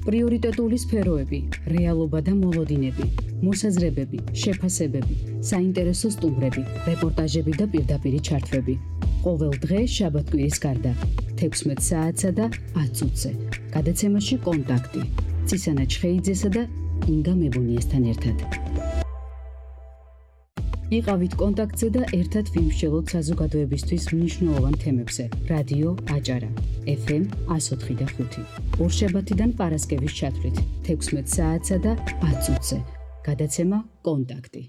პრიორიტეტული სფეროები, რეალობა და მოლოდინები, მოსაზრებები, შეფასებები, საინტერესო სტუმრები, რეპორტაჟები და პირდაპირი ჩართვები. ყოველ დღე შაბათ-კვირის გარდა 16 საათსა და 10 წუთზე. გადაცემაში კონტაქტი. ცისანა ჩხეიძესა და ინგა მებუნიესთან ერთად. იყავით კონტაქტზე და ერთად ვიმსჯელოთ საზოგადოებისთვის მნიშვნელოვან თემებზე. რადიო აჭარა, FM 104.5. ორშაბათიდან პარასკევის ჩათვლით 16 საათსა და 10 წუთზე. გადაცემა კონტაქტი.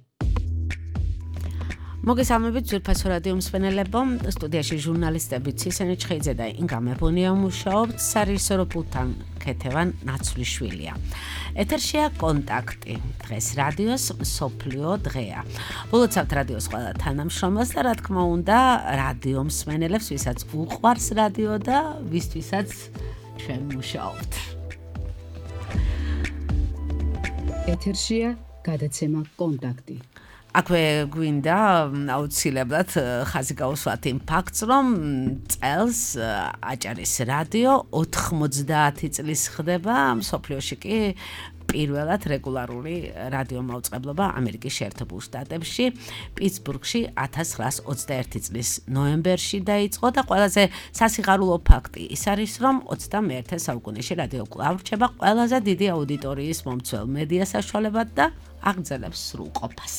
მოგესალმებით ძვირფასო რადიო მსმენელებო, სტუდიაში ჟურნალისტები ცისანა ჩხეიძე და ინგა მებუნია მუშაობთ, სარეჟისორო პულტთან ქეთევან ნაცვლიშვილია. ეთერშია კონტაქტი. დღეს რადიოს მსოფლიო დღეა. ულოცავთ რადიოს ყველა თანამშრომელს და რა თქმა უნდა, რადიო მსმენელებს, ვისაც უყვარს რადიო და ვისთვისაც ჩვენ მუშაობთ. ეთერშია გადაცემა კონტაქტი. აქვე გვინდა აუცილებლად ხაზი გავუსვათ იმ ფაქტს, რომ წელს აჭარის რადიო 90 წლის ხდება, მსოფლიოში კი პირველად რეგულარული რადიო მაუწყებლობა ამერიკის შეერთებულ შტატებში, პიტსბურგში 1921 წლის ნოემბერში დაიწყო და ყველაზე სასიხარულო ფაქტი ის არის, რომ 21 საუკუნეში რადიო კვლავ რჩება ყველაზე დიდი აუდიტორიის მომცველ მედია საშუალებად და აგრძელებს სრულყოფას.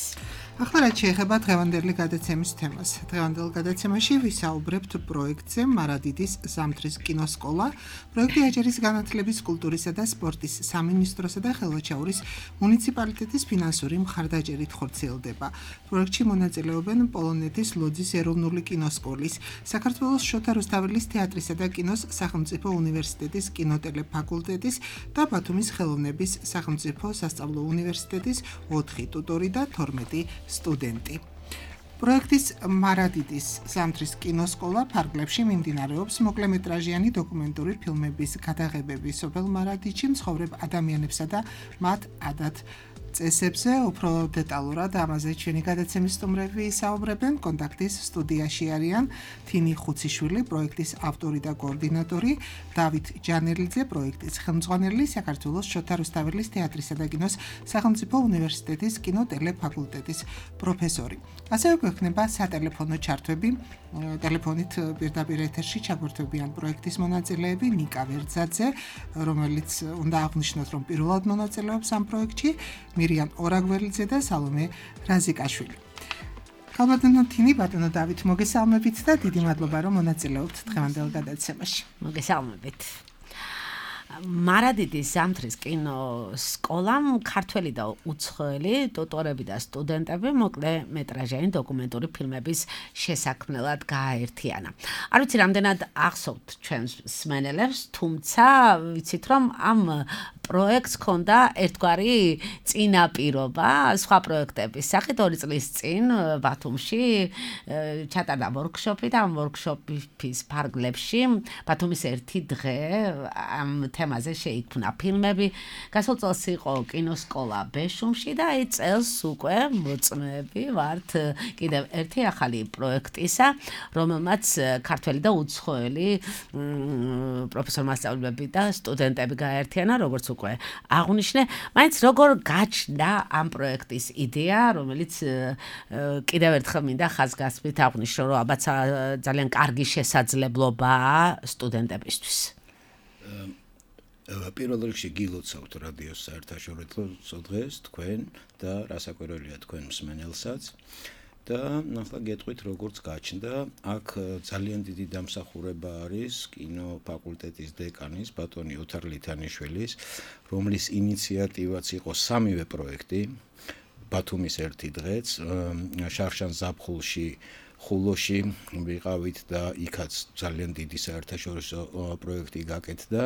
ახლა რაც შეეხება დღევანდელი გადაცემის თემას. დღევანდელ გადაცემაში ვისაუბრებთ პროექტზე მარადიდის ზამთრის კინოსკოლა. პროექტი აჭარის განათლების, კულტურისა და სპორტის სამინისტროსა და ხელვაჩაურის მუნიციპალიტეტის ფინანსური მხარდაჭერით ხორციელდება. პროექტში მონაწილეობენ პოლონეთის ლოძის ეროვნული კინოსკოლის, საქართველოს შოთა რუსთაველის თეატრისა და კინოს სახელმწიფო უნივერსიტეტის კინოტელეფაკულტეტის და ბათუმის ხელოვნების სახელმწიფო სასწავლო უნივერსიტეტის 4 ტუტორი და 12 სტუდენტი. პროექტის მარადიდის ზამთრის კინოსკოლა ფარგლებში მიმდინარეობს მოკლემეტრაჟიანი დოკუმენტური ფილმების გადაღებები სოფელ მარადიდში მცხოვრებ ადამიანებსა და მათ ადათ წესებზე. უფრო დეტალურად ამაზე ჩვენი გადაცემის სტუმრები საუბრებენ. კონტაქტის სტუდიაში არიან თინი ხუციშვილი, პროექტის ავტორი და კოორდინატორი, დავით ჯანელიძე, პროექტის ხელმძღვანელი, საქართველოს შოთა რუსთაველის თეატრისა და კინოს სახელმწიფო უნივერსიტეტის კინოტელეფაკულტეტის პროფესორი. ასევე გვექნება სატელეფონო ჩართვები. ტელეფონით პირდაპირ ეთერში ჩაგვერთვებიან პროექტის მონაწილეები ნიკა ვერძაძე, რომელიც უნდა აღვნიშნოთ, რომ პირველად მონაწილეობს ამ პროექტში, მირიან ორაგველიძე და სალომე რაზიკაშვილი. ქალბატონო თინი, ბატონო დავით, მოგესალმებით და დიდი მადლობა, რომ მონაწილეობთ დღევანდელ გადაცემაში. მოგესალმებით. მარადიდის ზამთრის კინოსკოლამ ქართველი და უცხოელი ტუტორები და სტუდენტები მოკლემეტრაჟიანი დოკუმენტური ფილმების შესაქმნელად გააერთიანა. არ ვიცი რამდენად ახსოვთ ჩვენს მსმენელებს, თუმცა ვიცით, რომ ამ პროექტს ჰქონდა ერთგვარი წინაპირობა სხვა პროექტების სახით. 2 წლის წინ ბათუმში ჩატარდა ვორქშოპი და ამ ვორქშოპის ფარგლებში ბათუმის ერთი დღე ამ თემაზე შეიქმნა ფილმები. გასულ წელს იყო კინოსკოლა ბეშუმში და აი წელს უკვე მოწმეები ვართ კიდევ ერთი ახალი პროექტისა, რომელმაც ქართველი და უცხოელი პროფესორ-მასწავლებლები და სტუდენტები გააერთიანა, როგორც უკვე აღნიშნე. მაინც როგორ გაჩნდა ამ პროექტის იდეა, რომელიც კიდევ ერთხელ მინდა ხაზგასმით აღნიშნო, რომ ალბათ ძალიან კარგი შესაძლებლობაა სტუდენტებისთვის. პირველ რიგში გილოცავთ რადიოს საერთაშორისო დღეს თქვენ და რასაკვირველია თქვენ მსმენელსაც და ახლა გეტყვით როგორც გაჩნდა. აქ ძალიან დიდი დამსახურება არის კინოფაკულტეტის დეკანის ბატონი ოთარ ლითანიშვილის, რომლის ინიციატივაც იყო სამივე პროექტი. ბათუმის ერთი დღეც, შარშან ზაფხულში ხულოში ვიყავით და იქაც ძალიან დიდი საერთაშორისო პროექტი გაკეთდა.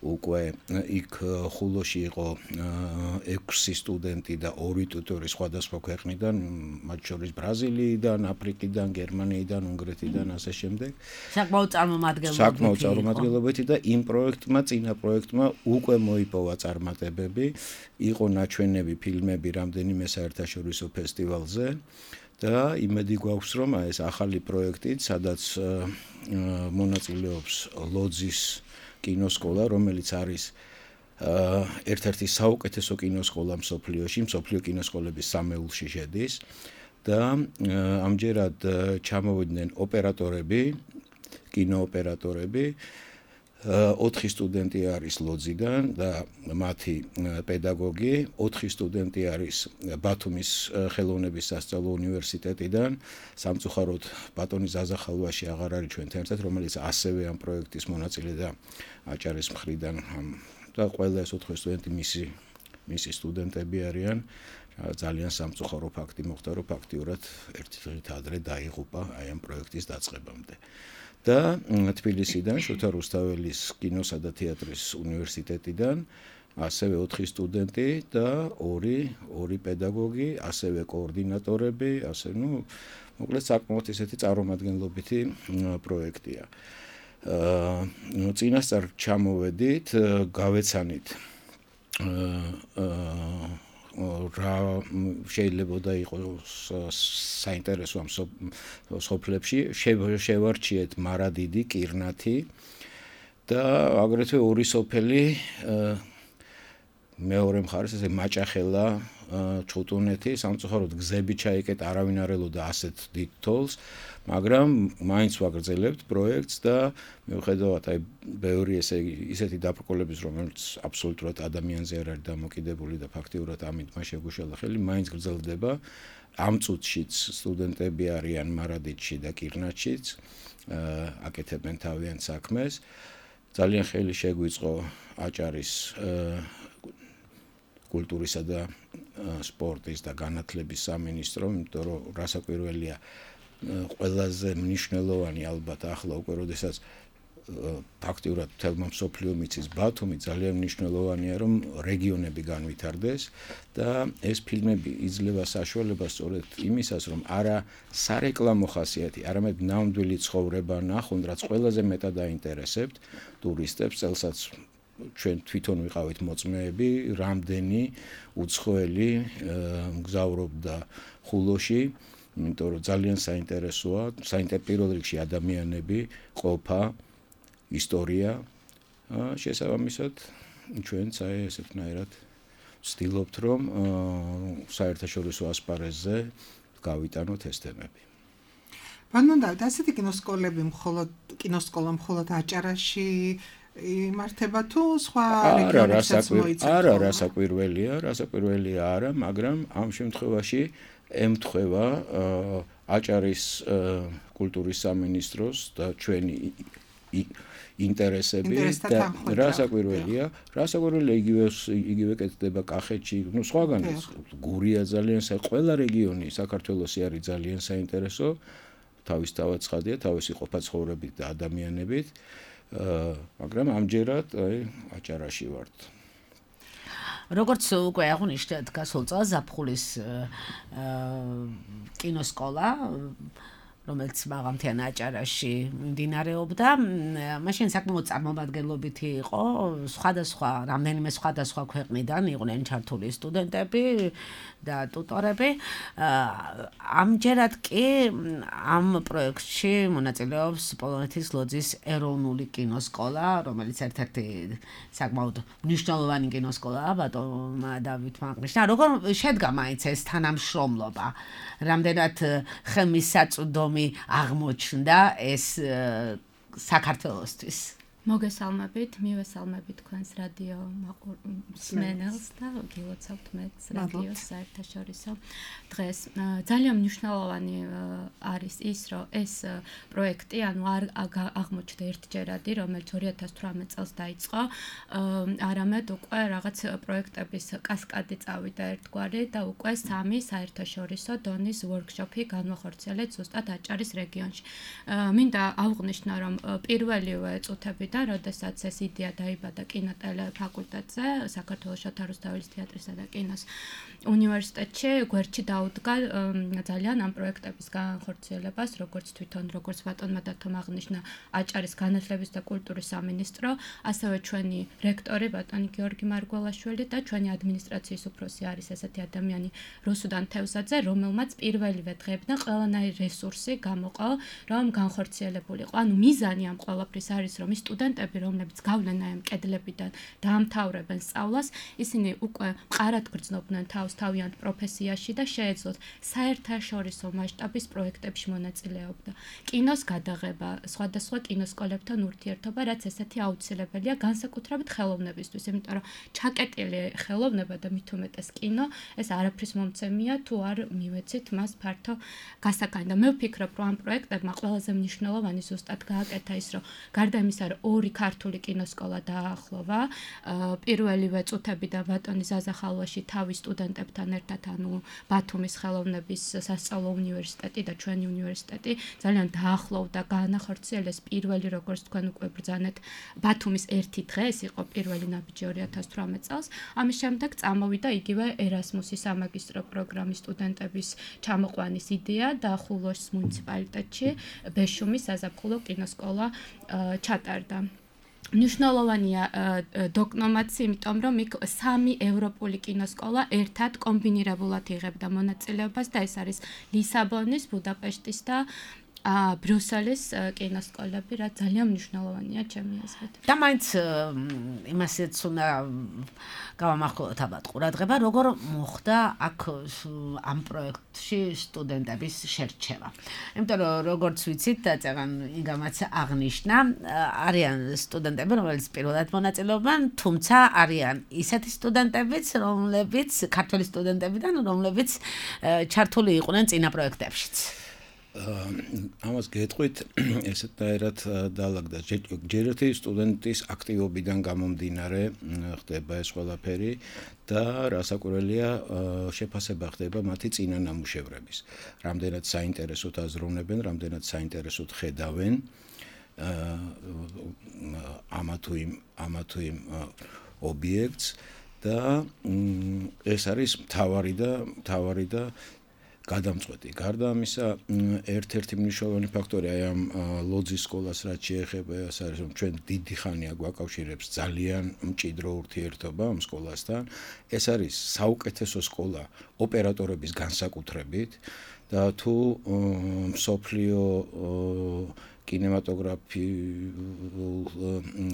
უკვე იქ ხულოში იყო 6 სტუდენტი და 2 ტუტორი სხვადასხვა ქვეყნიდან, მათ შორის ბრაზილიიდან, აფრიკიდან, გერმანიიდან, უნგრეთიდან, ასე შემდეგ. საკმაოდ წარმომადგენლობითი და იმ პროექტმა, წინა პროექტმა უკვე მოიპოვა წარმატებები. იყო ნაჩვენები ფილმები რამდენიმე საერთაშორისო ფესტივალზე. და იმედი გვაქვს, რომ ეს ახალი პროექტით, სადაც მონაწილეობს ლოძის კინოსკოლა, რომელიც არის ერთ-ერთი საუკეთესო კინოსკოლა მსოფლიოში, მსოფლიო კინოსკოლების სამეულში შედის და ამჯერად ჩამოვიდნენ ოპერატორები, კინოოპერატორები, 4 სტუდენტი არის ლოძიდან და მათი პედაგოგი, 4 სტუდენტი არის ბათუმის ხელოვნების სასწავლო უნივერსიტეტიდან, სამწუხაროდ ბატონი ზაზა ხალვაში აღარ არის ჩვენთან ერთად, რომელიც ასევე ამ პროექტის მონაწილე და აჭარის მხრიდან და ყველა ეს 4 სტუდენტი მისი სტუდენტები არიან. ძალიან სამწუხარო ფაქტი მოხდა, რომ ფაქტიურად ერთი დღით ადრე დაიღუპა აი ამ პროექტის დაწყებამდე. და თბილისიდან შოთა რუსთაველის კინოსა და თეატრის უნივერსიტეტიდან ასევე 4 სტუდენტი და 2 პედაგოგი, ასევე კოორდინატორები, ასე მოკლედ საკმაოდ ისეთი წარმომადგენლობითი პროექტია. წინასწარ ჩამოვედით, გავეცანით რა შეიძლება და იყოს საინტერესო ამ სოფლებში, შევარჩიეთ მარადიდი, კირნათი და აგრეთვე 2 სოფელი მეორე მხარეს ესე მაჭახელა, ჩუტუნეთი, სამწუხაროდ გზები ჩაიკეტ, არავინ არ ელოდა ასეთ დიდ თოლს, მაგრამ მაინც ვაგრძელებთ პროექტს და მიუხედავად აი ბევრი ისეთი დაბრკოლების, რომელიც აბსოლუტურად ადამიანზე არ არის დამოკიდებული და ფაქტიურად ამით მას შეგუშალა ხელი, მაინც გრძელდება. ამ წუთშიც სტუდენტები არიან მარადიდში და კირნათშიც, აკეთებენ თავიანთ საქმეს. ძალიან ხელი შეგვიწყო აჭარის კულტურისა და სპორტის და განათლების სამინისტრო, იმიტომ რომ რასაკვირველია ყველაზე მნიშვნელოვანი ალბათ ახლა უკვე როდესაც ფაქტიურად თელმა მსოფლიომ იცის ბათუმი, ძალიან მნიშვნელოვანია რომ რეგიონები განვითარდეს და ეს ფილმები იძლევა საშუალებას სწორედ იმისას, რომ არა სარეკლამო ხასიათი, არამედ ნამდვილი ცხოვრება ნახონ, რაც ყველაზე მეტად აინტერესებთ ტურისტებს, წელსაც ჩვენ თვითონ ვიყავით მოწმეები, რამდენი უცხოელი მგზავრობდა ხულოში, იმიტომ რომ ძალიან საინტერესოა, პირველ რიგში ადამიანები, ყოფა, ისტორია, შესაბამისად ჩვენც აი ესეთნაირად ვცდილობთ, რომ საერთაშორისო ასპარეზზე გავიტანოთ ეს თემები. ბატონო, ასეთი კინოსკოლა მხოლოდ აჭარაში იმართება თუ სხვა რეგიონებსაც მოიცავს? არა, რასაკვირველია არა, მაგრამ ამ შემთხვევაში ემთხვევა აჭარის კულტურის სამინისტროს და ჩვენი ინტერესები და რასაკვირველია იგივე კეთდება კახეთში, სხვაგანაც გურია ძალიან ყველა რეგიონი საქართველოსი არის ძალიან საინტერესო, თავისთავად ცხადია, თავისი ყოფა-ცხოვრებით და ადამიანებით, მაგრამ ამჯერად აჭარაში ვართ. როგორც უკვე აღნიშნეთ, გასულ წელს ზაფხულის კინოსკოლა, რომელიც მაღალმთიან აჭარაში მიმდინარეობდა, მაშინ საკმაოდ წარმომადგენლობითი იყო, რამდენიმე სხვადასხვა ქვეყნიდან იყვნენ ჩართული სტუდენტები და ტუტორები. ამჯერად კი ამ პროექტში მონაწილეობს პოლონეთის ლოძის ეროვნული კინოსკოლა, რომელიც ერთ-ერთი საკმაოდ მნიშვნელოვანი კინოსკოლაა ბატონმა დავითმა აღნიშნა. როგორ შედგა მაინც ეს თანამშრომლობა? რამდენად ხელმისაწვდომი აღმოჩნდა ეს საქართველოსთვის? მოგესალმებით, მივესალმებით თქვენს რადიო მსმენელს და გილოცავთ მეც რადიოს საერთაშორისო დღეს. ძალიან მნიშვნელოვანი არის ის, რომ ეს პროექტი, ანუ არ აღმოჩნდა ერთჯერადი, რომელიც 2018 წელს დაიწყო, არამედ უკვე რაღაც პროექტების კასკადი წავიდა ერთგვარი და უკვე 3 საერთაშორისო დონის ვორქშოპი განვახორციელეთ ზუსტად აჭარის რეგიონში. მინდა აღვნიშნო, რომ პირველივე წუთებიდან როდესაც ეს იდეა დაიბადა კინოტელე ფაკულტეტზე, საქართველოს შოთა რუსთაველის თეატრისა და კინოს უნივერსიტეტში, გვერდში დაუდგა ძალიან ამ პროექტების განხორციელებას, როგორც ბატონმა დათომ აღნიშნა აჭარის განათლების და კულტურის სამინისტრო, ასევე ჩვენი რექტორი ბატონი გიორგი მარგველაშვილი და ჩვენი ადმინისტრაციის უფროსი არის ესეთი ადამიანი რუსუდან თევზაძე, რომელმაც პირველივე დღეებიდან ყველანაირი რესურსი გამოყო, რომ განხორციელებულიყო. ანუ მიზანი ამ ყველაფრის არის, რომ სტუდენტები სტუდენტები, რომლებიც გავლენ აი ამ კედლებიდან დაამთავრებენ სწავლას, ისინი უკვე მყარად გრძნობდნენ თავს თავიანთ პროფესიაში და შეეძლოთ საერთაშორისო მასშტაბის პროექტებში მონაწილეობა. კინოს გადაღება, სხვადასხვა კინოსკოლებთან ურთიერთობა, რაც ესეთი აუცილებელია განსაკუთრებით ხელოვნებისთვის, იმიტომ რომ ჩაკეტილი ხელოვნება და მით უმეტეს კინო, ეს არაფრის მომცემია თუ არ მივეცით მას ფართო გასაკანი. და მე ვფიქრობ, რომ ამ პროექტებმა ყველაზე მნიშვნელოვანი ზუსტად გააკეთა ის, რომ გარდა იმისა, რომ 2 ქართული კინოსკოლა დაახლოვა, პირველივე წუთებიდან ბატონი ზაზა ხალვაში თავის სტუდენტებთან ერთად, ანუ ბათუმის ხელოვნების სასწავლო უნივერსიტეტი და ჩვენი უნივერსიტეტი ძალიან დაახლოვდა, გაანახორციელეს პირველი, როგორც თქვენ უკვე ბრძანეთ, ბათუმის ერთი დღე, ეს იყო პირველი ნაბიჯი 2018 წელს. ამის შემდეგ წამოვიდა იგივე ერასმუსის სამაგისტრო პროგრამის სტუდენტების ჩამოყვანის იდეა და ხულოს მუნიციპალიტეტში ბეშუმის საზაფხულო კინოსკოლა ჩატარდა. მნიშვნელოვანია დოკნომაცი, იმიტომ რომ იქ 3 ევროპული კინოსკოლა ერთად კომბინირებულად იღებდა მონაწილეობას და ეს არის ლისაბონის, ბუდაპეშტის და ბრიუსელის კინოსკოლები, რაც ძალიან მნიშვნელოვანია ჩემი აზრით. და მაინც იმასაც უნდა გავამახვილოთ ალბათ ყურადღება, როგორ მოხდა აქ ამ პროექტში სტუდენტების შერჩევა. იმიტომ რომ როგორც ვიცით, წეგან იგამაც აღნიშნა, არიან სტუდენტები, რომლებიც პირველად მონაწილეობენ, თუმცა არიან ისეთი სტუდენტებიც, რომლებიც ქართველი სტუდენტებიდან, რომლებიც ჩართული იყვნენ წინა პროექტებშიც. ამას გეტყვით ესეთნაირად დაალაგდა ჯერ ერთი სტუდენტის აქტივობიდან გამომდინარე ხდება ეს ყველაფერი და რასაკვირველია შეფასება ხდება მათი წინა ნამუშევრების. რამდენად საინტერესოდ აზროვნებენ, რამდენად საინტერესოდ ხედავენ ამა თუ იმ ობიექტს და ეს არის მთავარი და გადამწყვეტი. გარდა ამისა, ერთ-ერთი მნიშვნელოვანი ფაქტორი აი ამ ლოძის სკოლას რაც შეეხება, ეს არის რომ ჩვენ დიდი ხანია გვაკავშირებს ძალიან მჭიდრო ურთიერთობა ამ სკოლასთან. ეს არის საუკეთესო სკოლა ოპერატორების განსაკუთრებით და თუ მსოფლიო კინემატოგრაფიულ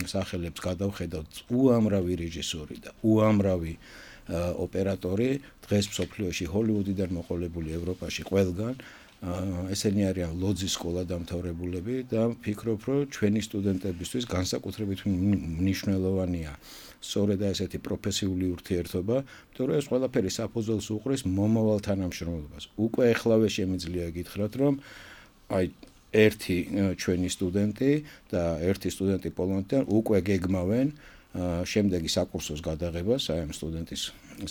სახელებს გადავხედავთ, უამრავი რეჟისორი და უამრავი ოპერატორი დღეს მსოფლიოში ჰოლივუდიდან მოყოლებული ევროპაში ყველგან ესენი არიან ლოძის სკოლა დამთავრებულები და ვფიქრობ, რომ ჩვენი სტუდენტებისთვის განსაკუთრებით მნიშვნელოვანია სწორედ ესეთი პროფესიული ურთიერთობა, იმიტომ რომ ეს ყველაფერი საფუძველს უყრის მომავალ თანამშრომლობას. უკვე ეხლავე შემიძლია გითხრათ, რომ აი ერთი ჩვენი სტუდენტი და ერთი სტუდენტი პოლონეთიდან უკვე გეგმავენ შემდეგი საკურსოს გადაღებას, აი ამ სტუდენტის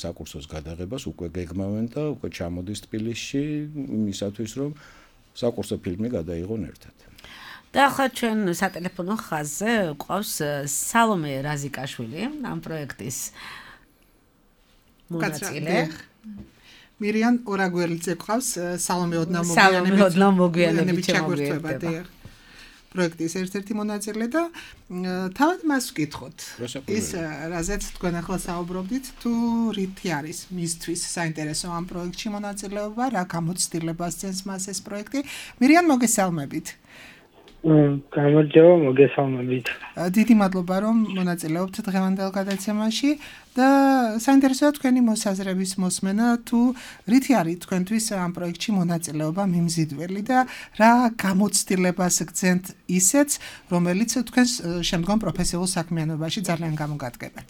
საკურსოს გადაღებას უკვე გეგმავენ და უკვე ჩამოდის თბილისში იმისათვის, რომ საკურსო ფილმი გადაიღონ ერთად. და ახლა ჩვენ სატელეფონო ხაზზე ყავს სალომე რაზიკაშვილი, ამ პროექტის მონაწილე. მირიან ორაგველიძე ყავს, სალომე ოდნავ-მოგვიანებით ჩაგვერთვება. პროექტის ერთ-ერთი მონაწილე და თავად მას ვკითხოთ. ის რაზეც თქვენ ახლა საუბრობდით, თუ რითი არის მისთვის საინტერესო ამ პროექტში მონაწილეობა, რა გამოცდილებას ძენს მას ეს პროექტი. მირიან, მოგესალმებით. გამარჯობა, მოგესალმებით. დიდი მადლობა, რომ მონაწილეობთ დღევანდელ გადაცემაში და საინტერესოა თქვენი მოსაზრების მოსმენა, თუ რითი არის თქვენთვის ამ პროექტში მონაწილეობა მიმზიდველი და რა გამოცდილებას გძენთ ისეც, რომელიც თქვენს შემდგომ პროფესიულ საქმიანობაში ძალიან გამოგადგებათ.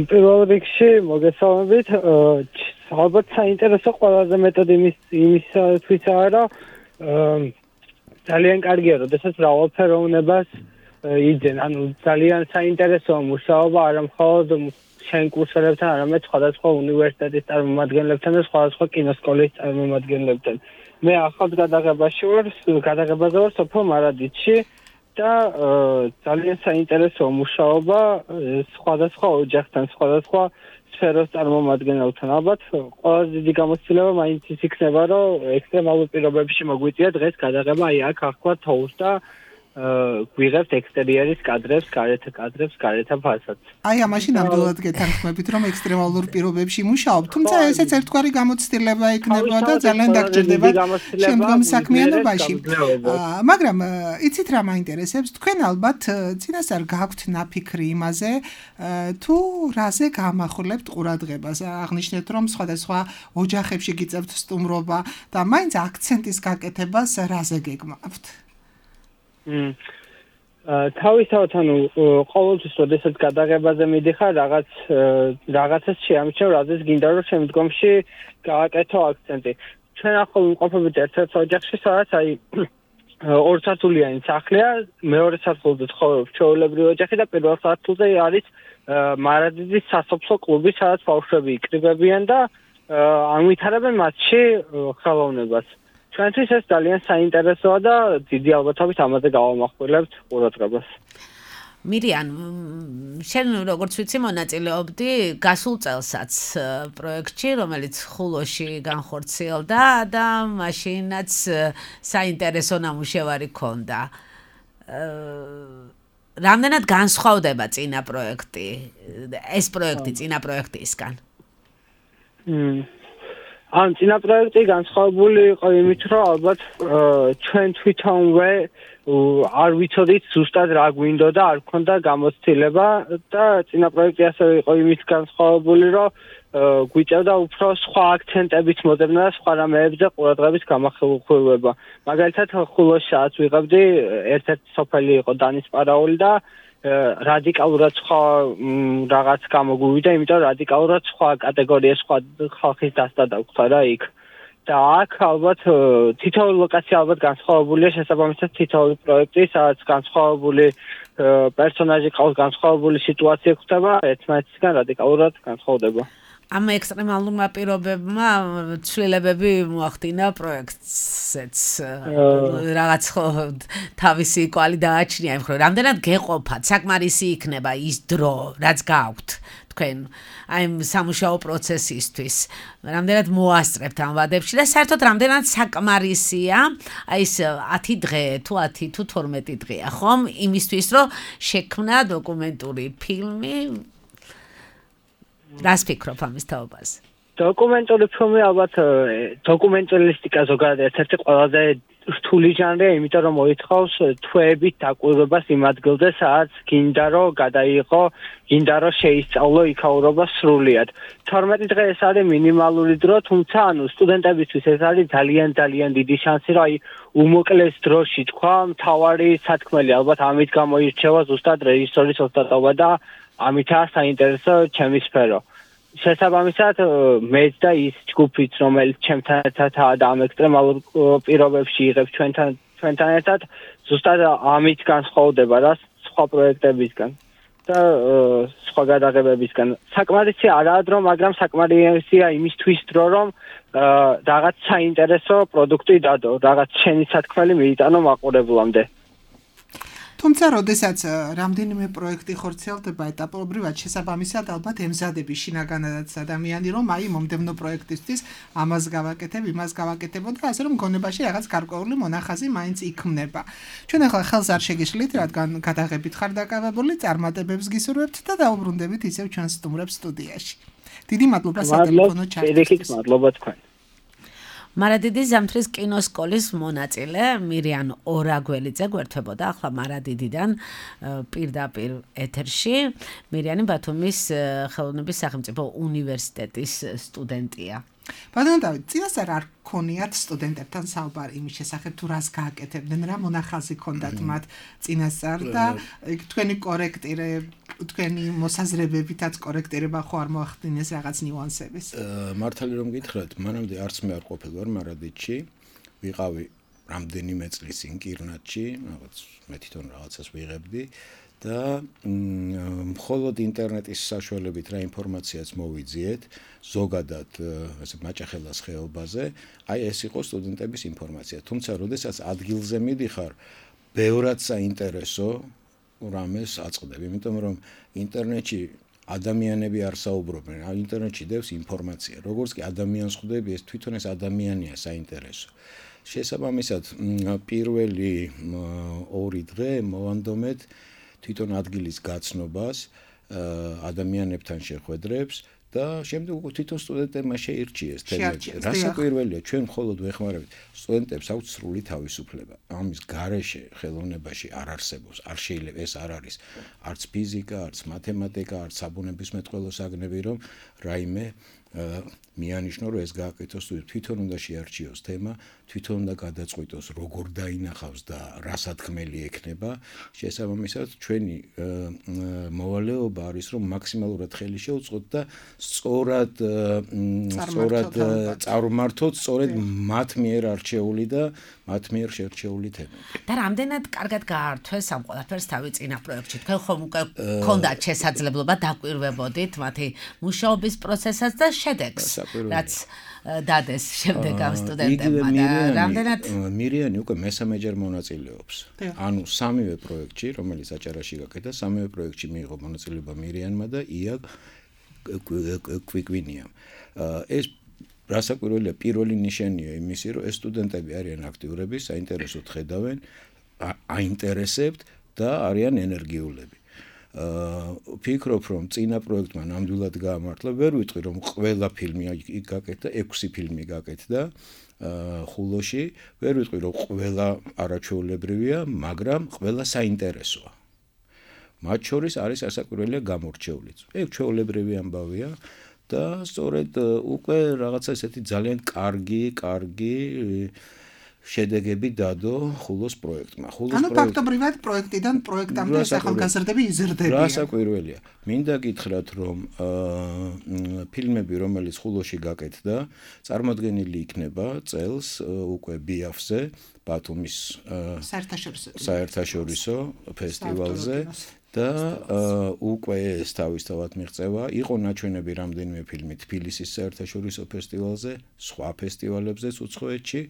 პირველ რიგში მოგესალმებით. ალბათ საინტერესო ყველაზე მეტად იმისათვის არა, ძალიან კარგია, როდესაც მრავალფეროვნებას იძენ, ანუ ძალიან საინტერესოა მუშაობა არა მხოლოდ შენ კურსორებთან, არამედ სხვადასხვა უნივერსიტეტის წარმომადგენლებთან და სხვადასხვა კინოსკოლის წარმომადგენლებთან. მე ახალ გადაღებაზე ვარ სოფელ მარადითში და ძალიან საინტერესოა მუშაობა სხვადასხვა ოჯახთან, სხვადასხვა სფეროს წარმომადგენელთან. ალბათ ყველაზე დიდი გამოცდილება მაინც ის იქნება, რომ ექსტრემალურ პირობებში მოგვიწია დღეს გადაღება აი აქ ახლა თოუს და გვიღებთ ექსტერიერის კადრებს, გარეთა კადრებს, გარეთა ფასადს. აი ამაში ნამდვილად გეთანხმებით, რომ ექსტრემალურ პირობებში მუშაობ, თუმცა ესეც ერთგვარი გამოცდილება იქნება და ძალიან დაგჭირდება შემდგომ საქმიანობაში. მაგრამ იცით რა მაინტერესებს, თქვენ ალბათ წინასწარ გაქვთ ნაფიქრი იმაზე, თუ რაზე გამახვილებთ ყურადღებას. აღნიშნეთ, რომ სხვადასხვა ოჯახებში გიწევთ სტუმრობა და მაინც აქცენტის გაკეთებას რაზე გეგმავთ? თავისთავად ყოველთვის როდესაც გადაღებაზე მიდიხარ რაღაცას შეამჩნევ, რაზეც გინდა რომ შემდგომში გააკეთო აქცენტი. ჩვენ ახლა ვიმყოფებით ერთ-ერთ ოჯახში, სადაც ორ სართულიანი სახლია, მეორე სართულზე ცხოვრობს ჩვეულებრივი ოჯახი და პირველ სართულზე არის მარადიდის სასოფლო კლუბი, სადაც ბავშვები იკრიბებიან და ამვითარებენ მასში ხელოვნებას. ჩვენთვის ეს ძალიან საინტერესოა და დიდი ალბათობით ამაზე გავამახვილებთ ყურადღებას. მირიან, შენ როგორც ვიცი მონაწილეობდი გასულ წელსაც პროექტში, რომელიც ხულოში განხორციელდა და მაშინაც საინტერესო ნამუშევარი ქონდა. რამდენად განსხვავდება წინა პროექტი, ეს პროექტი წინა პროექტისგან? წინა პროექტი განსხვავებული იყო იმით, რომ ალბათ ჩვენ თვითონვე არ ვიცოდით ზუსტად რა გვინდოდა, არ გქონდა გამოცდილება და წინა პროექტი ასევე იყო იმით განსხვავებული, რომ გვიწევდა უფრო სხვა აქცენტებით მოძებნა და სხვა რამეებზე ყურადღების გამახვილება. მაგალითად, ხულოშიც ვიღებდი ერთ-ერთი სოფელი იყო დანისპარაული და რადიკალურად სხვა რაღაც გამოგვივიდა, იმიტომ რადიკალურად სხვა კატეგორიის სხვა ხალხის დასტა დაგვხდა რა იქ. და აქ ალბათ თითოეული ლოკაცია ალბათ განსხვავებულია შესაბამისად თითოეული პროექტი, სადაც განსხვავებული პერსონაჟი ყავს, განსხვავებული სიტუაცია ხდება, ერთმანეთისგან რადიკალურად განსხვავდება. ამ ექსტრემალურმა პირობებმა ცვლილებები მოახდინა პროექტზეც. რაღაც თავისი კვალი დააჩნია იმ ხოლმე. რამდენად გეყოფათ, საკმარისი იქნება ის დრო, რაც გაქვთ თქვენ აი სამუშაო პროცესისთვის. რამდენად მოასწრებთ ამ ვადებში და საერთოდ რამდენად საკმარისია აი ეს 10 დღე თუ 10 თუ 12 დღეა, ხომ? იმისთვის, რომ შექმნა დოკუმენტური ფილმი. რას ფიქრობ ამის თაობაზე? დოკუმენტური ფილმი ალბათ დოკუმენტალისტიკა ზოგადად ერთ-ერთი ყველაზე რთული ჟანრია, იმიტომ რომ მოითხოვს თვეებით დაკვირვებას იმ ადგილზე, სადაც გინდა რომ გადაიღო, გინდა რომ შეისწავლო იქაურობა სრულიად. 12 დღე ეს არის მინიმალური დრო, თუმცა სტუდენტებისთვის ეს არის ძალიან დიდი შანსი, რომ უმოკლეს დროში თქვა, მთავარი სათქმელი ალბათ ამით გამოირჩევა ზუსტად რეჟისორის ოსტატობა და ამითაა საინტერესო ჩემი სფერო. შესაბამისად, მეც და ის ჯგუფიც, რომელიც ჩემთან ერთადაა და ამ ექსტრემალურ პირობებში იღებს ჩვენთან ერთად, ზუსტად ამით განსხვავდება რა სხვა პროექტებისგან და სხვა გადაღებებისგან. საკმარისი არაა დრო, მაგრამ საკმარისია იმისთვის დრო, რომ რაღაც საინტერესო პროდუქტი დადო, რაღაც შენი სათქმელი მიიტანო მაყურებლამდე. თუმცა, როდესაც რამდენიმე პროექტი ხორციელდება ეტაპობრივად, შესაბამისად ალბათ ემზადები შინაგანადაც ადამიანი, რომ აი მომდევნო პროექტისთვის ამას გავაკეთებ, იმას გავაკეთებო და ასე რომ გონებაში რაღაც გარკვეული მონახაზი მაინც იქმნება. ჩვენ ახლა ხელს არ შეგიშლით, რადგან გადაღებით ხარ დაკავებული, წარმატებებს გისურვებთ და დაუბრუნდებით ისევ ჩვენს სტუმრებს სტუდიაში. დიდი მადლობა სატელეფონო ჩართვისთვის. მადლობა თქვენ. მარადიდის ზამთრის კინოსკოლის მონაწილე მირიან ორაგველიძე გვერდებოდა ახლა მარადიდიდან პირდაპირ ეთერში. მირიანი ბათუმის ხელოვნების სახელმწიფო უნივერსიტეტის სტუდენტია. ბატონო დავით, წინასწარ არ ქონიათ სტუდენტებთან საუბარი იმის შესახებ, თუ რას გააკეთებდნენ, რა მონახაზი ქონდათ მათ წინასწარ და თქვენი კორექტირე, თქვენი მოსაზრებებითაც კორექტირება ხო არ მოახდინეს რაღაც ნიუანსების? მართალი რომ გითხრათ, მანამდე არც მე არ ყოფილი ვარ მარადიდში, ვიყავი რამდენიმე წლის წინ კირნატში, რაღაც მე თვითონ რაღაცას ვიღებდი და მხოლოდ ინტერნეტის საშუალებით რა ინფორმაციაც მოვიძიეთ ზოგადად ესე მაჭახელას ხეობაზე, აი ეს იყო სტუდენტების ინფორმაცია. თუმცა, როდესაც ადგილზე მიდიხარ, ბევრად საინტერესო რამეს აწყდები, იმიტომ რომ ინტერნეტში ადამიანები არ საუბრობენ, ინტერნეტში დევს ინფორმაცია. როგორც კი ადამიანს ხვდები, ეს თვითონ ეს ადამიანია საინტერესო. შესაბამისად, პირველი 2 დღე მოვანდომეთ თვითონ ადგილის გაცნობას, ადამიანებთან შეხვედრებს და შემდეგ უკვე თვითონ სტუდენტებმა შეირჩიეს თემები. რასაკვირველია, ჩვენ მხოლოდ ვეხმარებით სტუდენტებს აქვთ სრული თავისუფლება. ამის გარეშე ხელოვნებაში არ არსებობს, არ შეიძლება ეს არ არის არც ფიზიკა, არც მათემატიკა, არც საბუნებისმეტყველო საგნები, რომ რაიმე მიანიშნო, რომ ეს გააკეთოს თვითონ უნდა შეარჩიოს თემა, თვითონ უნდა გადაწყვიტოს, როგორ დაინახავს და რა სათქმელი ექნება. შესაბამისად, ჩვენი მოვალეობა არის, რომ მაქსიმალურად ხელი შევუწყოთ და სწორად წარმართოთ, სწორედ მათ მიერ არჩეული და მათ მიერ შერჩეული თემები. და რამდენად კარგად გაართვეს ამ ყველაფერს თავი წინა პროექტში. თქვენ ხომ უკვე გქონდათ შესაძლებლობა დაკვირვებოდით მათი მუშაობის პროცესსაც და შედეგს, რაც დადეს შემდეგ ამ სტუდენტებმა და რამდენად მირიანი უკვე მესამეჯერ მონაწილეობს. ანუ სამივე პროექტში, რომელიც აჭარაში გაკეთდა, სამივე პროექტში მიიღო მონაწილეობა მირიანმა და ია კვიკვინიამ. ეს რასაკვირველია, პირველი ნიშანია იმისი, რომ ეს სტუდენტები არიან აქტიურები, საინტერესოდ ხედავენ, აინტერესებთ და არიან ენერგიულები. ვფიქრობ, რომ წინა პროექტმა ნამდვილად გაამართლა, ვერ ვიტყვი, რომ ყველა ფილმი იქ გაკეთდა, 6 ფილმი გაკეთდა ხულოში, ვერ ვიტყვი, რომ ყველა არაჩვეულებრივია, მაგრამ ყველა საინტერესოა. მათ შორის არის ასაკვირველია გამორჩეულიც. ეს ჩვეულებრივი ამბავია და სწორედ უკვე რაღაცა ესეთი ძალიან კარგი შედეგები დადო ხულოს პროექტმა. ანუ ფაქტობრივად პროექტიდან პროექტამდე ახალგაზრდები იზრდებიან. რასაკვირველია. მინდა გითხრათ, რომ ფილმები, რომელიც ხულოში გაკეთდა, წარმოდგენილი იქნება წელს უკვე ბიაფზე, ბათუმის საერთაშორისო ფესტივალზე და უკვე ეს თავისთავად მიღწევა. იყო ნაჩვენები რამდენიმე ფილმი თბილისის საერთაშორისო ფესტივალზე, სხვა ფესტივალებზეც უცხოეთში.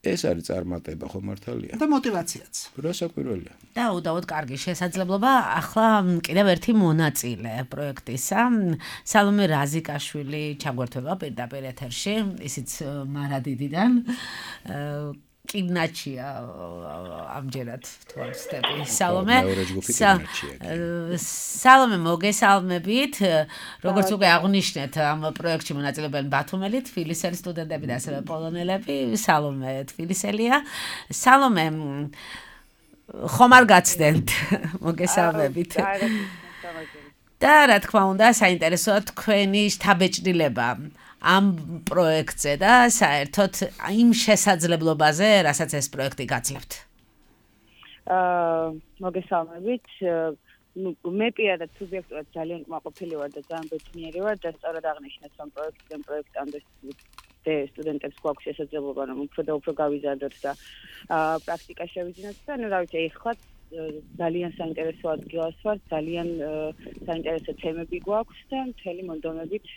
ეს არის წარმატება, ხო მართალია? და мотиваციაც. რასაკვირველია. და უდავოდ კარგი შესაძლებლობა ახლა კიდევ ერთი მონაწილე პროექტისა, სალომე რაზიკაშვილი ჩაგვერთვება პირდაპირ ეთერში, ისიც მარადიდიდან. კინაჩია ამჯერად თუ არ ვცდები. სალომე მოგესალმებით, როგორც უკვე აღნიშნეთ, ამ პროექტში მონაწილეობენ ბათუმელი, თბილისელი სტუდენტები და ასევე პოლონელები. სალომე თბილისელია. სალომე ხომ არ გაცდენთ? მოგესალმებით. და რა თქმა უნდა, საინტერესოა თქვენი შთაბეჭდილება ამ პროექტზე და საერთოდ იმ შესაძლებლობაზე, რასაც ეს პროექტი გაძლევთ. მოგესალმებით. მე პირადად სუბიექტურად ძალიან კმაყოფილი ვარ და ძალიან ბედნიერი ვარ და სწორად აღნიშნეთ, რომ პროექტამდე სტუდენტებს გვაქვს შესაძლებლობა, რომ უფრო და უფრო გავიზარდოთ და პრაქტიკა შევიძინოთ და რა ვიცი, ეხლა ძალიან საინტერესო ადგილას ვარ, ძალიან საინტერესო თემები გვაქვს და მთელი მონდომებით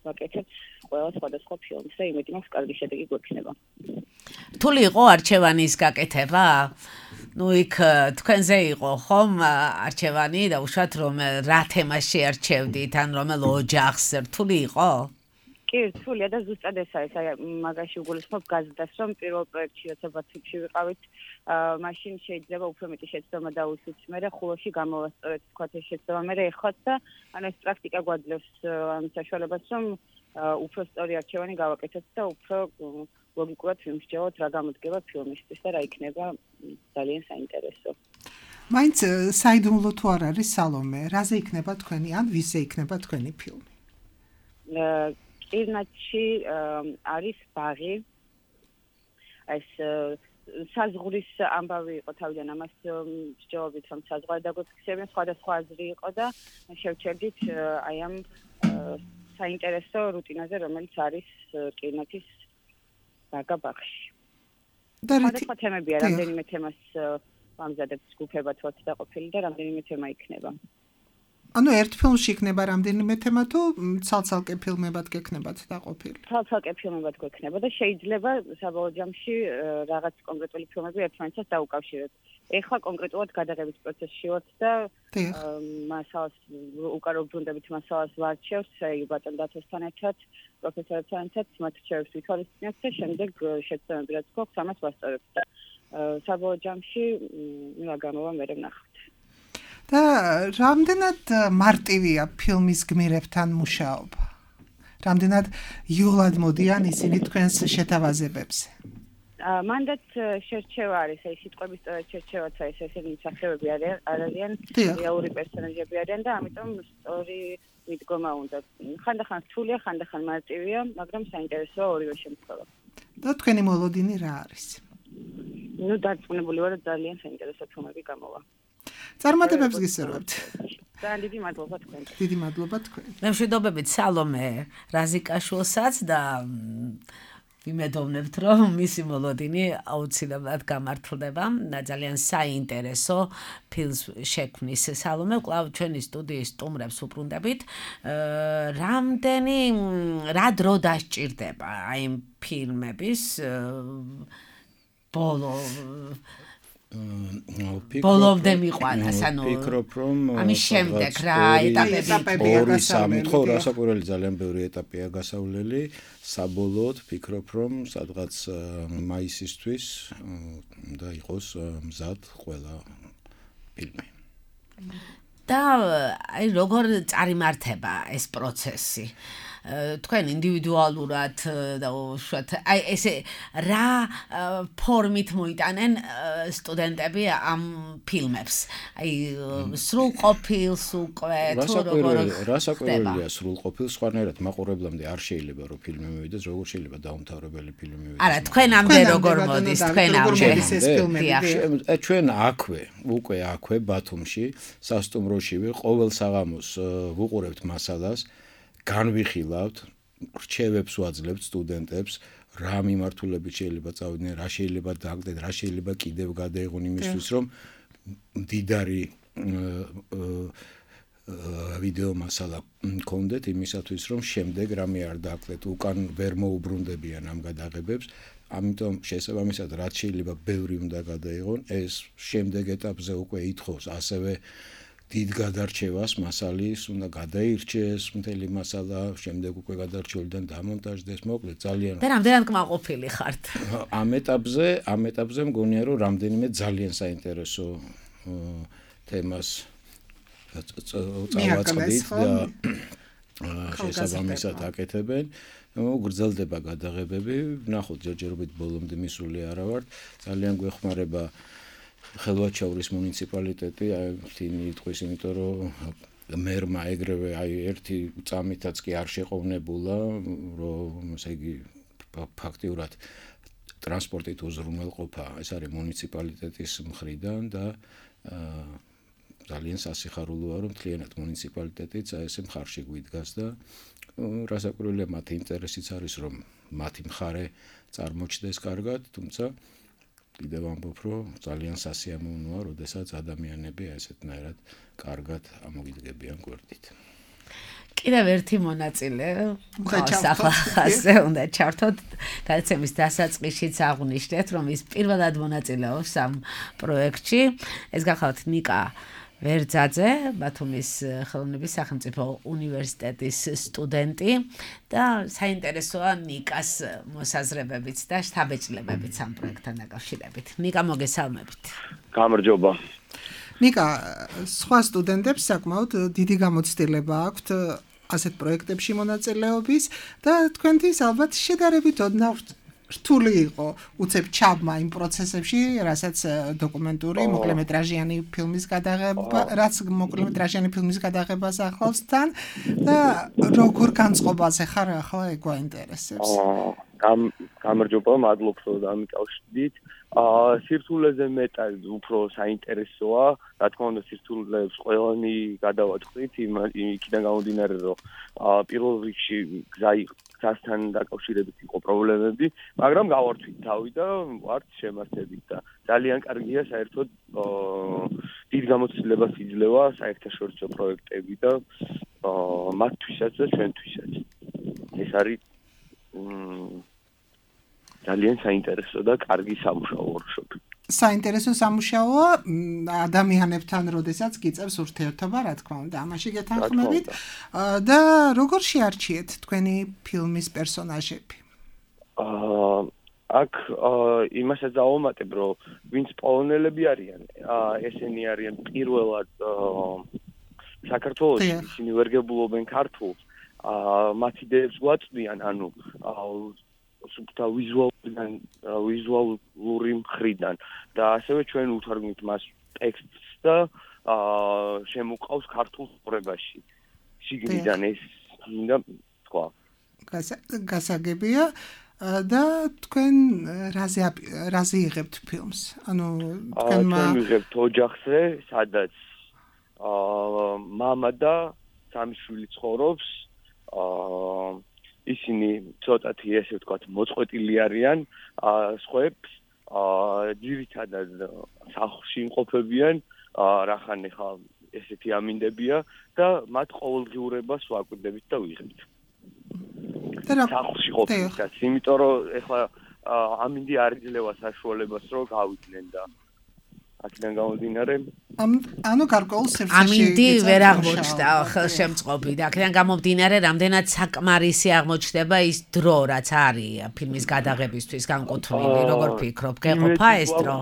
ვაკეთებ ყველა სხვადასხვა ფილმს და იმედი მაქვს კარგი შედეგი გვექნება. რთული იყო არჩევანის გაკეთება? ნუ იქ თქვენზე იყო ხომ არჩევანი და უშუალოდ რომ რა თემას შეარჩევდით, ან რომელ ოჯახს რთული იყო? კი, რთულია და ზუსტად ეს არის, აი მაგაში უგულისხმობ გაზდას, რომ პირველ პროექტში როცა ბათუმში ვიყავით, მაშინ შეიძლება უფრო მეტი შეცდომა დავუსვით, მერე ხულოში გამოვასწორეთ თქვათ ეს შეცდომა, მერე ეხოთ და ანუ ეს პრაქტიკა გვაძლევს ამ საშუალებას, რომ უფრო სწორი არჩევანი გავაკეთოთ და უფრო ლოგიკურად ვიმსჯელოთ, რა გამოდგება ფილმისთვის და რა იქნება ძალიან საინტერესო. მაინც საიდუმლო თუ არ არის სალომე, რაზე იქნება თქვენი ან ვისზე იქნება თქვენი ფილმი? კინაჩი არის ბაღი. ეს საზღვრის ამბავი იყო თავიდან ამას მსჯელობით, რომ საზღვარი დაგვეფიქსებიან, სხვადასხვა აზრი იყო და შევჩერდით აი ამ საინტერესო რუტინაზე, რომელიც არის კინოთის ბაღში. სხვადასხვა თემებია, რამდენიმე თემას ვამზადებთ ჯგუფებად ვართ დაყოფილი და რამდენიმე თემა იქნება. ანუ ერთ ფილმში იქნება რამდენიმე თემა თუ ცალ-ცალკე ფილმებად გექნებათ დაყოფილი? ცალ-ცალკე ფილმებად გვექნება და შეიძლება საბოლოო ჯამში რაღაც კონკრეტული ფილმები ერთმანეთს დაუკავშიროთ. ეხლა კონკრეტულად გადაღების პროცესში ვართ და მასალას უკარო ბრუნდებით მასალას ვარჩევს, აი ბატონ დათოსთან ერთად, პროფესორებთან ერთად, მათ რჩევებს ვითვალისწინებთ და შემდეგ შეცდომები რაც გვაქვს, ამას ვასწორებთ და საბოლოო ჯამში რა გამოვა მე ვნახავთ. და რამდენად მარტივია ფილმის გმირებთან მუშაობა? რამდენად იოლად მოდიან ისინი თქვენს შეთავაზებებზე? მანდაც შერჩევა არის, აი სიტყვების სწორად შერჩევაც არის, ესენი მსახიობები არიან, რეალური პერსონაჟები არიან და ამიტომ სწორი მიდგომა უნდა. ხანდახან რთულია, ხანდახან მარტივია, მაგრამ საინტერესოა ორივე შემთხვევა. და თქვენი მოლოდინი რა არის? ნუ დარწმუნებული ვარ, ძალიან საინტერესო ფილმები გამოვა. წარმატებებს გისურვებთ. ძალიან დიდი მადლობა თქვენ. დიდი მადლობა თქვენ. მშვიდობებით სალომე რაზიკაშვილსაც და ვიმედოვნებთ, რომ მისი მოლოდინი აუცილებლად გამართლდება და ძალიან საინტერესო ფილმს შექმნის სალომე. კვლავ ჩვენი სტუდიის სტუმრებს უბრუნდებით. რა დრო დასჭირდება აი იმ ფილმების ბოლომდე მიყვანას, ანუ ვფიქრობ, რომ ამის შემდეგ რა ეტაპებია გასავლელი. ხო, რასაკვირველი ძალიან ბევრი ეტაპია გასავლელი. საბოლოოდ ვფიქრობ, რომ სადღაც მაისისთვის და იყოს მზად ყველა ფილმი. და აი როგორ წარიმართება ეს პროცესი? თქვენ ინდივიდუალურად და უშუალოდ აი ესე რა ფორმით მოიტანენ სტუდენტები ამ ფილმებს? აი სრულყოფილს უკვე თუ როგორ რასაკვირველია სრულყოფილს, სხვანაირად მაყურებლამდე არ შეიძლება რომ ფილმი მივიდეს, როგორ შეიძლება დაუმთავრებელი ფილმი მივიდეს. არა, თქვენამდე როგორ მოდის, თქვენამდე. ჩვენ უკვე აქვე ბათუმში, სასტუმროშივე ყოველ საღამოს ვუყურებთ მასალას. განვიხილავთ, რჩევებს ვაძლევთ სტუდენტებს, რა მიმართულებით შეიძლება წავიდნენ, რა შეიძლება დააგდეთ, რა შეიძლება კიდევ გადაიღონ იმისთვის, რომ მდიდარი ვიდეო მასალა გქონდეთ იმისათვის, რომ შემდეგ რამე არ დააკლეთ, უკან ვერ მოუბრუნდებიან ამ გადაღებებს. ამიტომ შესაბამისად რაც შეიძლება ბევრი უნდა გადაიღონ, ეს შემდეგ ეტაპზე უკვე ითხოვს ასევე დიდ გადარჩევას მასალის, უნდა გადაირჩეს მთელი მასალა, შემდეგ უკვე გადარჩეულიდან დამონტაჟდეს, მოკლედ ძალიან. და რამდენად კმაყოფილი ხართ? ამ ეტაპზე მგონია, რომ რამდენიმე ძალიან საინტერესო თემას წავაწყდით და შესაბამისად აკეთებენ. გრძელდება გადაღებები, ვნახოთ ჯერჯერობით ბოლომდე მისული არა ვართ, ძალიან გვეხმარება ხელვაჩაურის მუნიციპალიტეტი, თინი იტყვის, იმიტომ რომ მერმა ეგრევე ერთი წამითაც კი არ შეყოვნებულა, რომ ესე იგი ფაქტიურად ტრანსპორტით უზრუნველყოფა, ეს არის მუნიციპალიტეტის მხრიდან და ძალიან სასიხარულოა, რომ მთლიანად მუნიციპალიტეტიც ესე მხარში გვიდგას და რასაკვირველია მათი ინტერესიც არის, რომ მათი მხარე წარმოჩნდეს კარგად, თუმცა კიდევ ამბობ, რომ ძალიან სასიამოვნოა, როდესაც ადამიანები ესეთნაირად კარგად ამოგიდგებიან გვერდით. კიდევ ერთი მონაწილე ახლა უნდა ჩართოთ გადაცემის დასაწყისშიც აღვნიშნეთ, რომ ის პირველად მონაწილეობს ამ პროექტში. ეს გახლავთ ნიკა ვერძაძე, ბათუმის ხელოვნების სახელმწიფო უნივერსიტეტის სტუდენტი და საინტერესოა ნიკას მოსაზრებებიც და შთაბეჭდილებებიც ამ პროექტთან დაკავშირებით. ნიკა, მოგესალმებით. გამარჯობა. ნიკა, სხვა სტუდენტებს საკმაოდ დიდი გამოცდილება აქვთ ასეთ პროექტებში მონაწილეობის და თქვენთვის ალბათ შედარებით ოდნავ რთული იყო უცებ ჩაბმა იმ პროცესებში, რასაც დოკუმენტური მოკლემეტრაჟიანი ფილმის გადაღება, რაც მოკლემეტრაჟიანი ფილმის გადაღებას ახლავს თან და როგორ განწყობაზე ხარ ახლა ეგ გვაინტერესებს. გამარჯობა, მადლობ რომ დამიკავშირდით. სირთულეზე მეტად უფრო საინტერესოა, რა თქმა უნდა სირთულეებს ყველანი გადავაწყდით, იქიდან გამომდინარე, რომ პირველ რიგში გზასთან დაკავშირებით იყო პრობლემები, მაგრამ გავართვით თავი და ვართ შემართებით და ძალიან კარგია საერთოდ დიდ გამოცდილებას იძლევა საერთაშორისო პროექტები და მათთვისაც და ჩვენთვისაც. ეს არის ძალიან საინტერესო და კარგი სამუშაო ვორქშოპი. საინტერესო სამუშაოა ადამიანებთან, როდესაც გიწევს ურთიერთობა, რა თქმა უნდა, ამაში გეთანხმებით. და როგორ შეარჩიეთ თქვენი ფილმის პერსონაჟები? აქ იმასაც დავამატებ, რომ ვინც პოლონელები არიან, ესენი არიან პირველად საქართველოში, ისინი ვერ გებულობენ ქართულს, მათ იდეებს გვაწვდიან, ანუ სუბთა ვიზუალური მხრიდან და ასევე ჩვენ უთარგმნით მას ტექსტს და შემოყავს ქართულ სწორებაში. შიგნიდან ეს მინდა თქვა. გასაგებია და თქვენ რაზე იღებთ ფილმს? ანუ თქვენმა ჩვენ ვიღებთ ოჯახზე, სადაც მამა და სამი შვილი ცხოვრობს. ისინი ცოტათი ესე ვთქვათ მოწყვეტილი არიან სხვებს, ძირითადად სახლში იმყოფებიან, რახან ეხა ესეთი ამინდებია და მათ ყოველდღიურებას ვაკვირდებით და ვიღებთ. სახლში ყოფნისას, იმიტომ რომ ეხლა ამინდი არ იძლევა საშუალებას რომ გავიდნენ და აქედან გამომდინარე ანუ გარკვეულ სივრცეში ამინდი ვერ აღმოჩნდა ხელშემწყობი და აქედან გამომდინარე რამდენად საკმარისი აღმოჩნდება ის დრო რაც არის ფილმის გადაღებისთვის განკუთვნილი როგორ ფიქრობ გეყოფა ეს დრო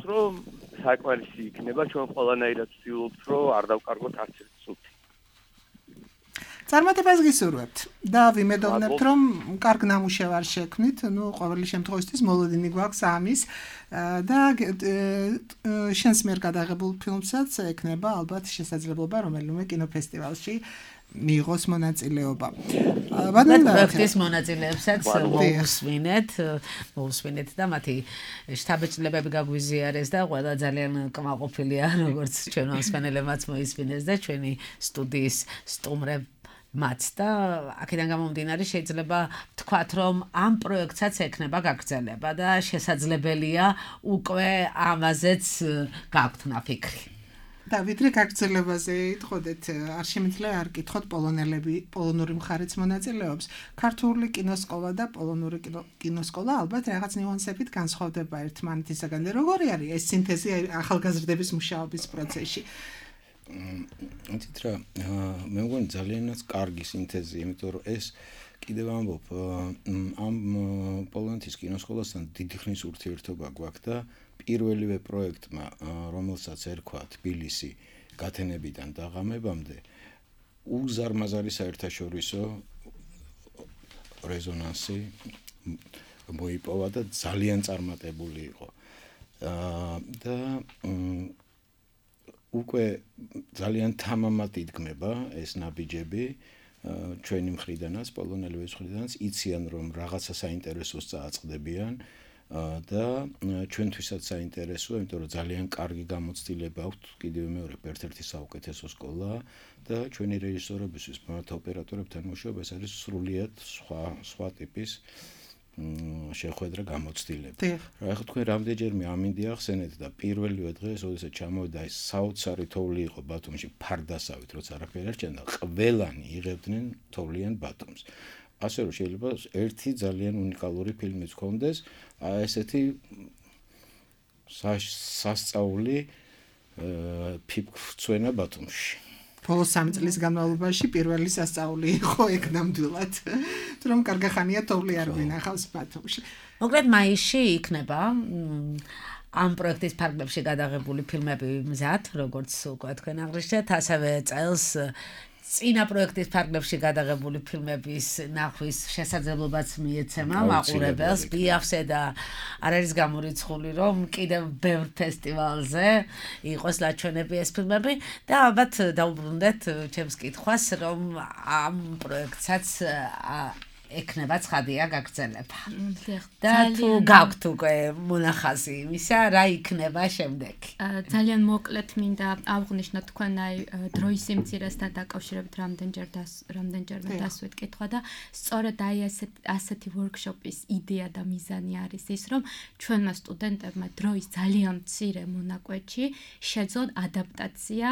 საკმარისი იქნება ჩვენ ყველანაირად ვცდილობთ რომ არ დავკარგოთ არც ერთ სულ წარმატებას გისურვებთ და ვიმედოვნებთ რომ კარგ ნამუშევარს შექმნით, ну, ყოველი შემთხვევისთვის მოლოდინი გვაქვს ამის და შენს მიერ გადაღებულ ფილმსაც ექნება ალბათ შესაძლებლობა რომელიმე კინოფესტივალში მიიღოს მონაწილეობა. პროექტის მონაწილეებსაც მოусვინეთ და მათი შტაბ-ჭრილებები გაგვიზიარეს და ყველა ძალიან კმაყოფილია, როგორც ჩვენ მოსმენელებმაც მოისმინეს და ჩვენი სტუდიის სტუმრები მათ და აქედან გამომდინარე შეიძლება ვთქვათ რომ ამ პროექტსაც ექნება გაგრძელება და შესაძლებელია უკვე ამაზეც გაქვთ ნაფიქრი. და ვიდრე გაგრძელებაზე იტყოდეთ, არ შემიძლია არ კითხოთ პოლონური მხარეც მონაწილეობს. ქართული კინოსკოლა და პოლონური კინოსკოლა ალბათ რაღაც ნიუანსებით განსხვავდება ერთმანეთისაგან. როგორი არის ეს სინთეზი ახალგაზრდების მუშაობის პროცესში? იცით რა, მე მგონი ძალიანაც კარგი სინთეზი, იმიტომ რომ ეს კიდევ ამბობ, ამ პოლონეთის კინოსკოლასთან დიდი ხნის ურთიერთობა გვაქვს და პირველივე პროექტმა, რომელსაც ერქვა თბილისი გათენებიდან დაღამებამდე, უზარმაზარი საერთაშორისო რეზონანსი მოიპოვა და ძალიან წარმატებული იყო. და უკვე ძალიან თამამად იდგმება ეს ნაბიჯები ჩვენი მხრიდანაც, პოლონელების მხრიდანაც, იციან რომ რაღაცა საინტერესოს წააწყდებიან და ჩვენთვისაც საინტერესოა, იმიტომ რომ ძალიან კარგი გამოცდილება აქვს, კიდევ მეორე ერთ-ერთი საუკეთესო სკოლა და ჩვენი რეჟისორებისთვის, მათ ოპერატორებთან მუშაობა ეს არის სრულიად სხვა ტიპის შეხვედრა გამოცდილება. რა ახლა თქვენ რამდენჯერმე ამინდი ახსენეთ და პირველივე დღეს, როდესაც ჩამოვიდა ეს საოცარი თოვლი იყო ბათუმში, ფარდასავით, როცა არაფერი არ ჭენდა, ყველანი იღებდნენ თოვლიან ბათუმს. ასე რომ შეიძლება ერთი ძალიან უნიკალური ფილმიც გქონდეს, ესეთი სასწაული ფიფცვენა ბათუმში. ბოლო 3 წლის განმავლობაში პირველი სასწაული იყო ეგ ნამდვილად, რომ კარგახანია თოვლი არ ვინახავს ბათუმში. მოკლედ მაისში იქნება ამ პროექტის ფარგლებში გადაღებული ფილმები მზად, როგორც უკვე თქვენ აღნიშნეთ, ასევე წელს წინა პროექტის ფარგლებში გადაღებული ფილმების ნახვის შესაძლებლობაც მიეცემა მაყურებელს ბიახსე და არ არის გამორიცხული რომ კიდევ ბევრ ფესტივალზე იყოს ლაჩვენები ეს ფილმები და ალბათ დაუბრუნდეთ ჩემს კითხვას რომ ამ პროექტსაც ექნება ცხადია გაგრძელება. და თუ გაქვთ უკვე მონახაზი იმისა, რა იქნება შემდეგ? ძალიან მოკლედ მინდა აღვნიშნო თქვენ აი დროის სიმცირესთან დაკავშირებით რამდენჯერმე დასვით კითხვა და სწორედ აი ასეთი ვორქშოპის იდეა და მიზანი არის ის, რომ ჩვენმა სტუდენტებმა დროის ძალიან მცირე მონაკვეთში შეძლონ ადაპტაცია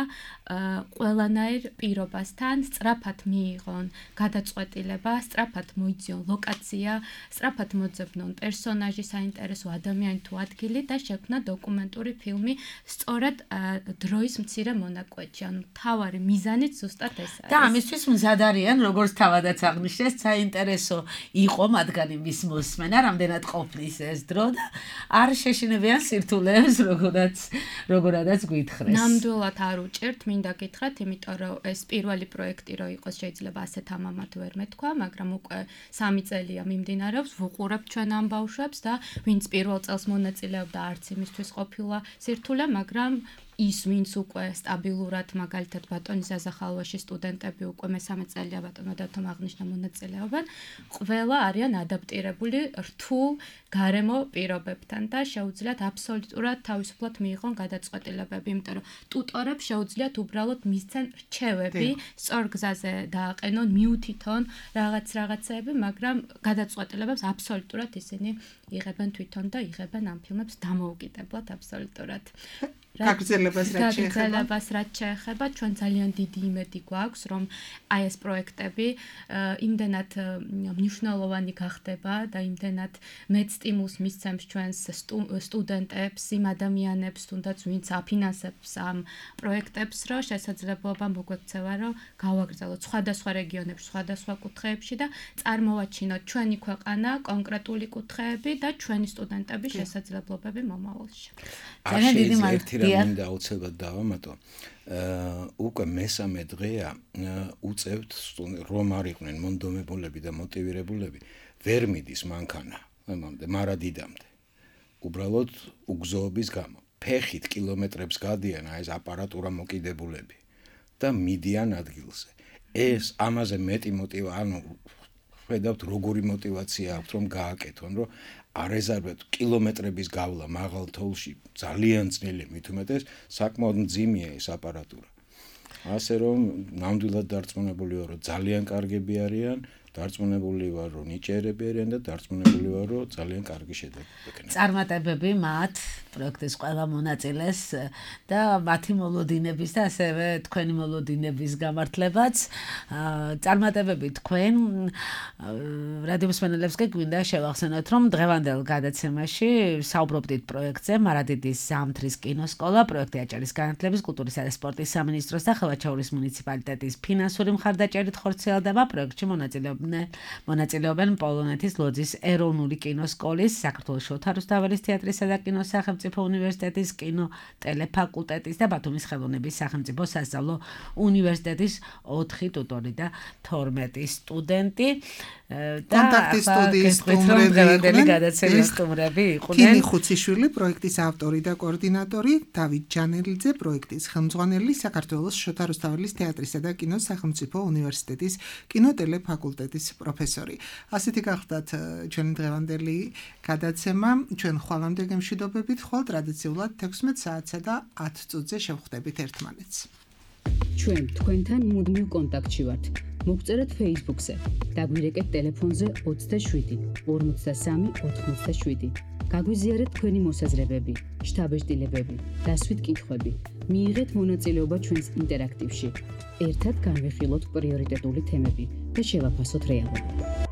ყველანაირ პირობასთან, სწრაფად მიიღონ გადაწყვეტილება, სწრაფად მოიძიონ ლოკაცია, სწრაფად მოძებნონ პერსონაჟი, საინტერესო ადამიანი თუ ადგილი და შექმნა დოკუმენტური ფილმი სწორად დროის მცირე მონაკვეთში. ანუ თავარი მიზანიც ზუსტად ეს არის. და ამისთვის მზად არიან, როგორც თავადაც აღნიშნეს, საინტერესო იყო მათგანი მის მოსმენა, რამდენად ყოფნის ეს დრო და არ შეშინებიან სირთულეებს, როგორადაც გითხრეს. ნამდვილად არ უჭერთ, მინდა გითხრათ, იმიტომ რომ ეს პირველი პროექტი რო იყოს, შეიძლება ასეთ ამამად ვერ მეთქვა, მაგრამ უკვე 3 წელია მიმდინარეობს, ვუყურებთ ჩვენ ამ ბავშვებს და ვინც პირველ წელს მონაწილეობდა, არც იმისთვის ყოფილა სირთულე, მაგრამ ის ვინც უკვე სტაბილურად მაგალითად ბატონი ზაზახალვაში სტუდენტები უკვე მე-3 წელია ბატონო დათომ აღნიშნა მონაწილეობენ, ყველა არიან ადაპტირებული რთულ გარემო პირობებთან და შეუძლიათ აბსოლუტურად თავისუფლად მიიღონ გადაწყვეტილებები, იმიტომ რომ ტუტორებს შეუძლიათ უბრალოდ მისცენ რჩევები, სწორ გზაზე დააყენონ, მიუთითონ რაღაცეები, მაგრამ გადაწყვეტილებებს აბსოლუტურად ისინი იღებენ თვითონ და იღებენ ამ ფილმებს დამოუკიდებლად აბსოლუტურად. გაგრძელებას რაც შეეხება, ჩვენ ძალიან დიდი იმედი გვაქვს, რომ აი ეს პროექტები იმდენად მნიშვნელოვანი გახდება და იმდენად მეც სტიმულს მისცემს ჩვენს სტუდენტებს, იმ ადამიანებს, თუნდაც ვინც აფინანსებს ამ პროექტებს, რომ შესაძლებლობა მოგვექცევა, რომ გავაგრძელოთ სხვადასხვა რეგიონებში, სხვადასხვა კუთხეებში და წარმოვაჩინოთ ჩვენი ქვეყანა, კონკრეტული კუთხეები და ჩვენი სტუდენტების შესაძლებლობები მომავალში. ძალიან დიდი მადლობა. მინდა აუცილებლად დავამატო. უკვე მესამე დღეა უწევთ რომ არ იყვნენ მონდომებულები და მოტივირებულები, ვერ მიდის მანქანა, მარადიდამდე. უბრალოდ უგზოობის გამო. ფეხით კილომეტრებს გადიან ეს აპარატურა მოკიდებულები და მიდიან ადგილზე. ეს ამაზე მეტი ხედავთ როგორი мотиваცია აქვს რომ გააკეთონ, რომ არეზარბეთ კილომეტრების გავლა მაღალ თოვლში ძალიან ძნელი, მით უმეტეს საკმაოდ მძიმეა ეს აპარატურა. ასე რომ ნამდვილად დარწმუნებული ვარ, რომ ძალიან კარგები არიან, დარწმუნებული ვარ, რომ ნიჭიერები არიან და დარწმუნებული ვარ, რომ ძალიან კარგი შედეგი ექნება. წარმატებები მათ პროექტის ყველა მონაწილეს და მათი მოლოდინების და ასევე თქვენი მოლოდინების გამართლებაც. წარმატებები თქვენ რადიო მსმენელებს გვინდა შევახსენოთ, რომ დღევანდელ გადაცემაში საუბრობდით პროექტზე მარადიდის ზამთრის კინოსკოლა, პროექტი აჭარის განათლების, კულტურისა და სპორტის სამინისტროს და ხევაჩაურის მუნიციპალიტეტის ფინანსური მხარდაჭერით ხორციელდება. პროექტში მონაწილეობენ პოლონეთის ლოძის ეროვნული კინოსკოლის, საქართველოს შოთა რუსთაველის თეატრისა და კინოს სახელმწიფო უნივერსიტეტის კინოტელეფაკულტეტის და ბათუმის ხელოვნების სახელმწიფო სასწავლო უნივერსიტეტის 4 ტუტორი და 12 სტუდენტი და კონტაქტის სტუდიის სტუმრები იყვნენ. თინი ხუციშვილი, პროექტის ავტორი და კოორდინატორი, დავით ჯანელიძე, პროექტის ხელმძღვანელი, საქართველოს შოთა რუსთაველის თეატრისა და კინოს სახელმწიფო უნივერსიტეტის კინოტელეფაკულტეტის პროფესორი. ასეთი გახდათ ჩვენი დღევანდელი გადაცემა. ჩვენ ხვალამდე გემშვიდობებით, ხვალ ტრადიციულად 16 საათსა და 10 წუთზე შევხვდებით ერთმანეთს. ჩვენ თქვენთან მუდმივ კონტაქტში ვართ. მოგწერეთ Facebook-ზე, დაგვირეკეთ ტელეფონზე 27 53 87. გაგვიზიარეთ თქვენი მოსაზრებები, შთაბეჭდილებები, დასვით კითხვები. მიიღეთ მონაწილეობა ჩვენს ინტერაქტივში. ერთად განვიხილოთ პრიორიტეტული თემები და შევაფასოთ რეალობა.